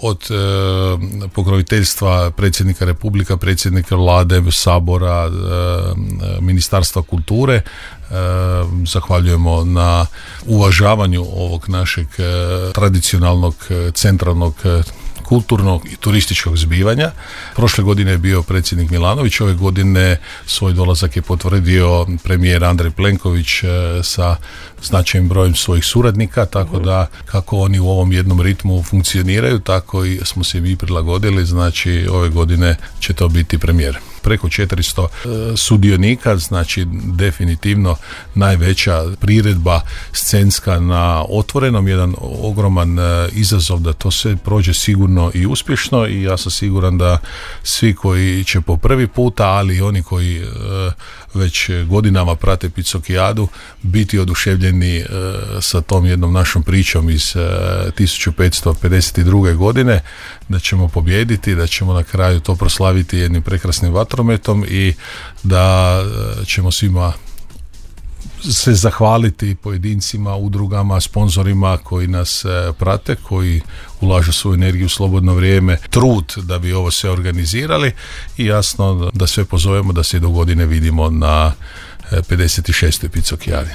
od pokroviteljstva predsjednika Republika, predsjednika Vlade, Sabora, Ministarstva kulture. Zahvaljujemo na uvažavanju ovog našeg tradicionalnog centralnog kulturnog i turističkog zbivanja. Prošle godine je bio predsjednik Milanović, ove godine svoj dolazak je potvrdio premijer Andrej Plenković sa značajnim brojem svojih suradnika, tako da kako oni u ovom jednom ritmu funkcioniraju, tako i smo se mi prilagodili, znači ove godine će to biti premijer. Preko 400 sudionika, znači definitivno najveća priredba scenska na otvorenom, jedan ogroman izazov da to sve prođe sigurno i uspješno, i ja sam siguran da svi koji će po prvi puta, ali i oni koji već godinama prate Picokijadu, biti oduševljeni sa tom jednom našom pričom iz 1552. godine, da ćemo pobijediti, da ćemo na kraju to proslaviti jednim prekrasnim vatrometom i da ćemo svima se zahvaliti pojedincima, udrugama, sponzorima koji nas prate, koji ulažu svoju energiju, slobodno vrijeme, trud da bi ovo sve organizirali, i jasno da sve pozovemo da se do godine vidimo na 56. Picokijadi.